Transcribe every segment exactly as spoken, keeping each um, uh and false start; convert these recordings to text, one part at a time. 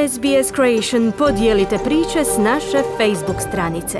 S B S Creation podijelite priče s naše Facebook stranice.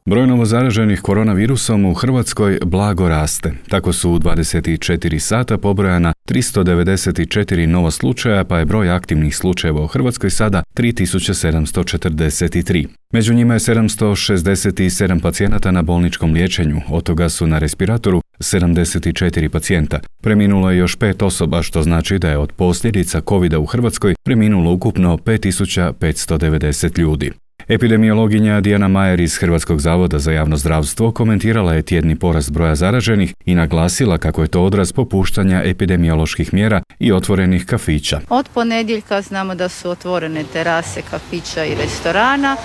Broj novozaraženih koronavirusom u Hrvatskoj blago raste. Tako su u dvadeset četiri sata pobrojana tristo devedeset četiri nova slučaja, pa je broj aktivnih slučajeva u Hrvatskoj sada tri tisuće sedamsto četrdeset tri. Među njima je sedamsto šezdeset sedam pacijenata na bolničkom liječenju, od toga su na respiratoru sedamdeset četiri pacijenta. Preminulo je još pet osoba, što znači da je od posljedica kovida u Hrvatskoj preminulo ukupno pet tisuća petsto devedeset ljudi. Epidemiologinja Dijana Majer iz Hrvatskog zavoda za javno zdravstvo komentirala je tjedni porast broja zaraženih i naglasila kako je to odraz popuštanja epidemioloških mjera i otvorenih kafića. Od ponedjeljka znamo da su otvorene terase kafića i restorana,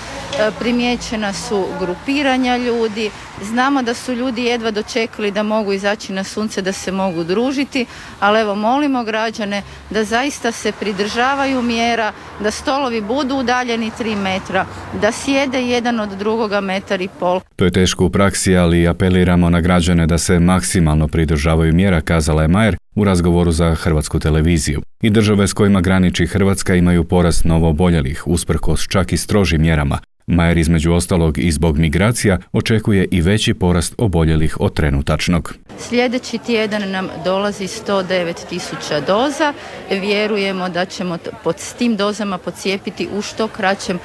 primijećena su grupiranja ljudi, znamo da su ljudi jedva dočekali da mogu izaći na sunce, da se mogu družiti, ali evo molimo građane da zaista se pridržavaju mjera, da stolovi budu udaljeni tri metra, da sjede jedan od drugoga metar i pol. To je teško u praksi, ali apeliramo na građane da se maksimalno pridržavaju mjera, kazala je Majer u razgovoru za Hrvatsku televiziju. I države s kojima graniči Hrvatska imaju porast novooboljelih, usprkos čak i strožim mjerama. Majer između ostalog i zbog migracija očekuje i veći porast oboljelih od trenutačnog. Sljedeći tjedan nam dolazi sto devet tisuća doza. Vjerujemo da ćemo pod tim dozama pocijepiti u što kraćem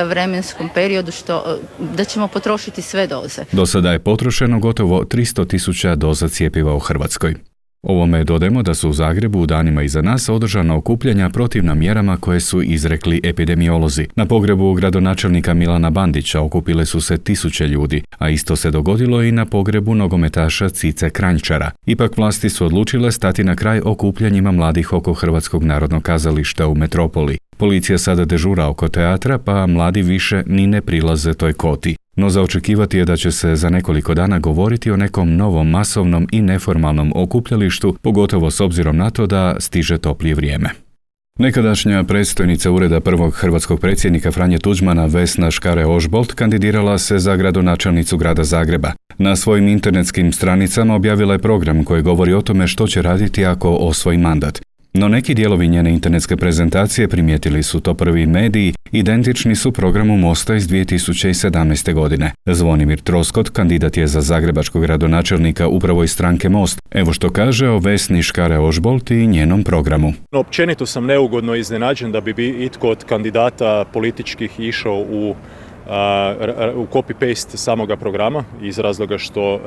vremenskom periodu, što, da ćemo potrošiti sve doze. Do sada je potrošeno gotovo tristo tisuća doza cjepiva u Hrvatskoj. Ovome dodajemo da su u Zagrebu u danima iza nas održana okupljanja protivna mjerama koje su izrekli epidemiolozi. Na pogrebu gradonačelnika Milana Bandića okupile su se tisuće ljudi, a isto se dogodilo i na pogrebu nogometaša Cice Kranjčara. Ipak vlasti su odlučile stati na kraj okupljanjima mladih oko Hrvatskog narodnog kazališta u metropoli. Policija sada dežura oko teatra, pa mladi više ni ne prilaze toj koti. No za očekivati je da će se za nekoliko dana govoriti o nekom novom masovnom i neformalnom okupljalištu, pogotovo s obzirom na to da stiže toplije vrijeme. Nekadašnja predstojnica ureda prvog hrvatskog predsjednika Franje Tuđmana Vesna Škare-Ožbolt kandidirala se za gradonačelnicu grada Zagreba. Na svojim internetskim stranicama objavila je program koji govori o tome što će raditi ako osvoji mandat. No neki dijelovi njene internetske prezentacije, primijetili su to prvi mediji, identični su programu Mosta iz dvije tisuće sedamnaeste. godine. Zvonimir Troskot, kandidat je za zagrebačkog gradonačelnika upravo iz stranke Most. Evo što kaže o Vesni Škare-Ožbolt i njenom programu. Općenito sam neugodno iznenađen da bi itko od kandidata političkih išao u u copy-paste samoga programa iz razloga što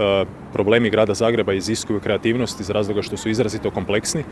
problemi grada Zagreba iziskuju kreativnost, iz razloga što su izrazito kompleksni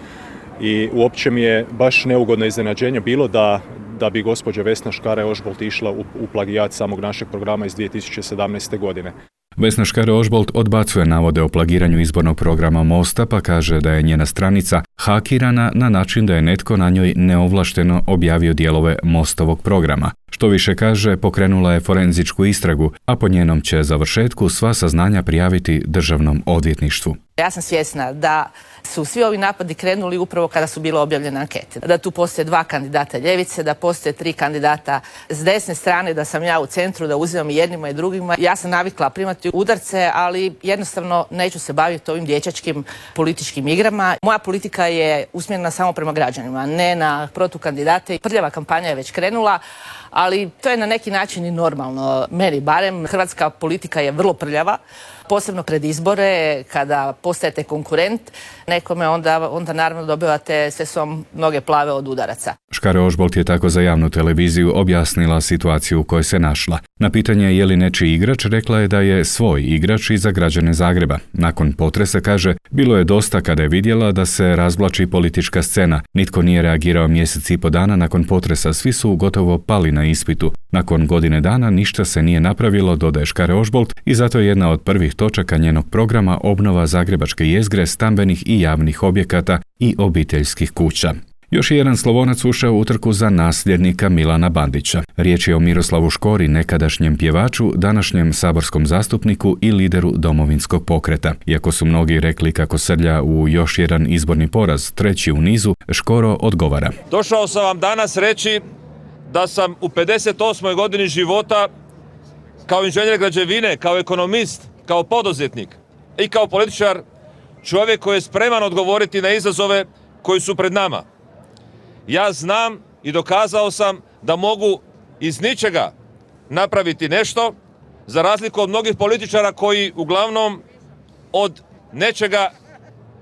i uopće mi je baš neugodno iznenađenje bilo da, da bi gospođa Vesna Škare-Ožbolt išla u, u plagijat samog našeg programa iz dvije tisuće sedamnaeste. godine. Vesna Škare-Ožbolt odbacuje navode o plagiranju izbornog programa Mosta, pa kaže da je njena stranica hakirana na način da je netko na njoj neovlašteno objavio dijelove Mostovog programa. Što više kaže, pokrenula je forenzičku istragu, a po njenom će završetku sva saznanja prijaviti Državnom odvjetništvu. Ja sam svjesna da su svi ovi napadi krenuli upravo kada su bile objavljene ankete. Da tu postoje dva kandidata ljevice, da postoje tri kandidata s desne strane, da sam ja u centru, da uzimam i jednima i drugima. Ja sam navikla primati udarce, ali jednostavno neću se baviti ovim dječačkim političkim igrama. Moja politika je usmjerena samo prema građanima, ne na protukandidate. Prljava kampanja je već krenula, ali to je na neki način i normalno. Meni barem, hrvatska politika je vrlo prljava, posebno pred izbore, kada postajete konkurent nekome, onda, onda naravno dobivate sve su vam noge plave od udaraca. Škare-Ožbolt je tako za javnu televiziju objasnila situaciju u kojoj se našla. Na pitanje je li nečiji igrač, rekla je da je svoj igrač i za građane Zagreba. Nakon potresa, kaže, bilo je dosta kada je vidjela da se razvlači politička scena. Nitko nije reagirao mjesec i po dana nakon potresa, svi su gotovo pali na ispitu. Nakon godine dana ništa se nije napravilo, dodaje Škare-Ožbolt, i zato je jedna od prvih točaka njenog programa obnova zagrebačke jezgre, stambenih i javnih objekata i obiteljskih kuća. Još je jedan Slavonac ušao u utrku za nasljednika Milana Bandića. Riječ je o Miroslavu Škori, nekadašnjem pjevaču, današnjem saborskom zastupniku i lideru Domovinskog pokreta. Iako su mnogi rekli kako srlja u još jedan izborni poraz, treći u nizu, Škoro odgovara. Došao sam vam danas reći da sam u pedeset osmoj godini života kao inženjer građevine, kao ekonomist, kao poduzetnik i kao političar čovjek koji je spreman odgovoriti na izazove koji su pred nama. Ja znam i dokazao sam da mogu iz ničega napraviti nešto, za razliku od mnogih političara koji uglavnom od nečega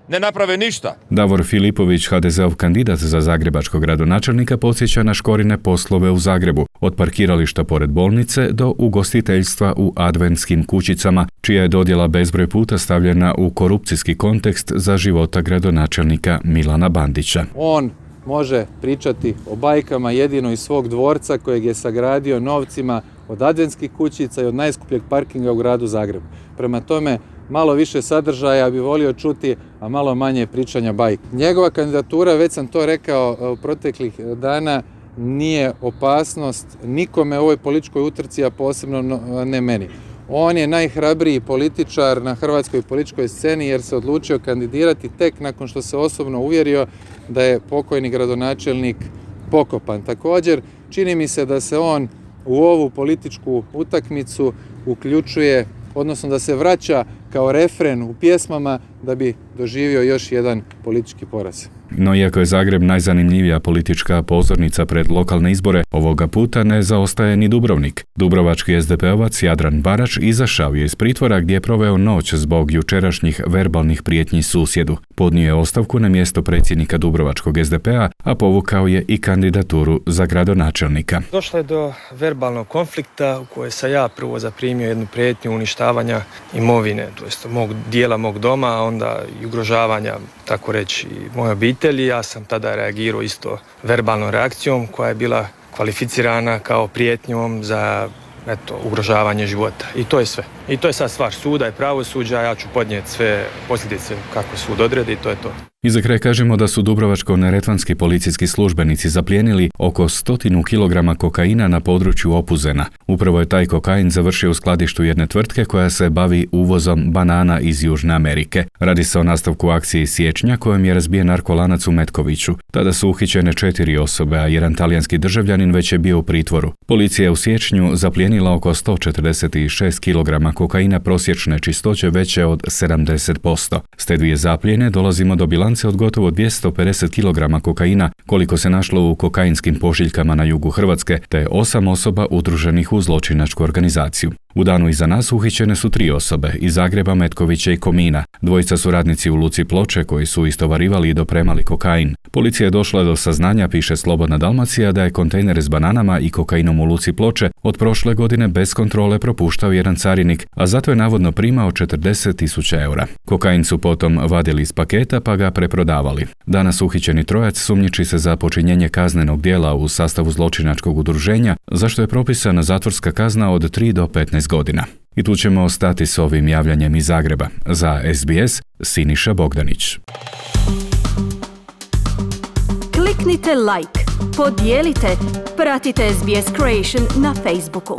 ne naprave ništa. Davor Filipović, ha de zeov kandidat za zagrebačkog gradonačelnika, podsjeća na Škorine poslove u Zagrebu, od parkirališta pored bolnice do ugostiteljstva u adventskim kućicama, čija je dodjela bezbroj puta stavljena u korupcijski kontekst za života gradonačelnika Milana Bandića. On može pričati o bajkama jedino iz svog dvorca kojeg je sagradio novcima od adventskih kućica i od najskupljeg parkinga u gradu Zagrebu. Prema tome, malo više sadržaja bi volio čuti, a malo manje pričanja bajke. Njegova kandidatura, već sam to rekao u proteklih dana, nije opasnost nikome u ovoj političkoj utrci, a posebno ne meni. On je najhrabriji političar na hrvatskoj političkoj sceni jer se odlučio kandidirati tek nakon što se osobno uvjerio da je pokojni gradonačelnik pokopan. Također, čini mi se da se on u ovu političku utakmicu uključuje, odnosno da se vraća kao refren u pjesmama da bi doživio još jedan politički poraz. No iako je Zagreb najzanimljivija politička pozornica pred lokalne izbore, ovoga puta ne zaostaje ni Dubrovnik. Dubrovački es de pe ovac Jadran Barač izašao je iz pritvora gdje je proveo noć zbog jučerašnjih verbalnih prijetnji susjedu. Podnio je ostavku na mjesto predsjednika Dubrovačkog es de pe-a, a povukao je i kandidaturu za gradonačelnika. Došlo je do verbalnog konflikta u kojoj sam ja prvo zaprimio jednu prijetnju uništavanja imovine, to jest mog dijela mog doma, a onda i ugrožavanja, tako reći, moje obitelji. Ja sam tada reagirao isto verbalnom reakcijom koja je bila kvalificirana kao prijetnjom za eto, ugrožavanje života. I to je sve. I to je sad stvar suda i pravosuđa, ja ću podnijeti sve posljedice kako sud odredi i to je to. I za kraj kažemo da su dubrovačko-neretvanski policijski službenici zaplijenili oko stotinu kilograma kokaina na području Opuzena. Upravo je taj kokain završio u skladištu jedne tvrtke koja se bavi uvozom banana iz Južne Amerike. Radi se o nastavku akcije iz siječnja kojom je razbijen narkolanac u Metkoviću. Tada su uhićene četiri osobe, a jedan talijanski državljanin već je bio u pritvoru. Policija je u siječnju zaplijenila oko sto četrdeset šest kilograma kokaina prosječne čistoće veće od sedamdeset posto. S te dvije zaplijene dolazimo do bilance od gotovo dvjesto pedeset kilograma kokaina koliko se našlo u kokainskim pošiljkama na jugu Hrvatske, te osam osoba udruženih u zločinačku organizaciju. U danu iza nas uhićene su tri osobe iz Zagreba, Metkovića i Komina. Dvojica su radnici u luci Ploče koji su istovarivali i dopremali kokain. Policija je došla do saznanja, piše Slobodna Dalmacija, da je kontejner s bananama i kokainom u luci Ploče od prošle godine bez kontrole propuštao jedan carinik, a zato je navodno primao četrdeset tisuća eura. Kokain su potom vadili iz paketa pa ga preprodavali. Danas uhićeni trojac sumnjiči se za počinjenje kaznenog djela u sastavu zločinačkog udruženja, za što je propisana zatvorska kazna od tri do petnaest godina. I tu ćemo ostati s ovim javljanjem iz Zagreba. Za es be es, Siniša Bogdanić. Kliknite like, podijelite, pratite es be es Creation na Facebooku.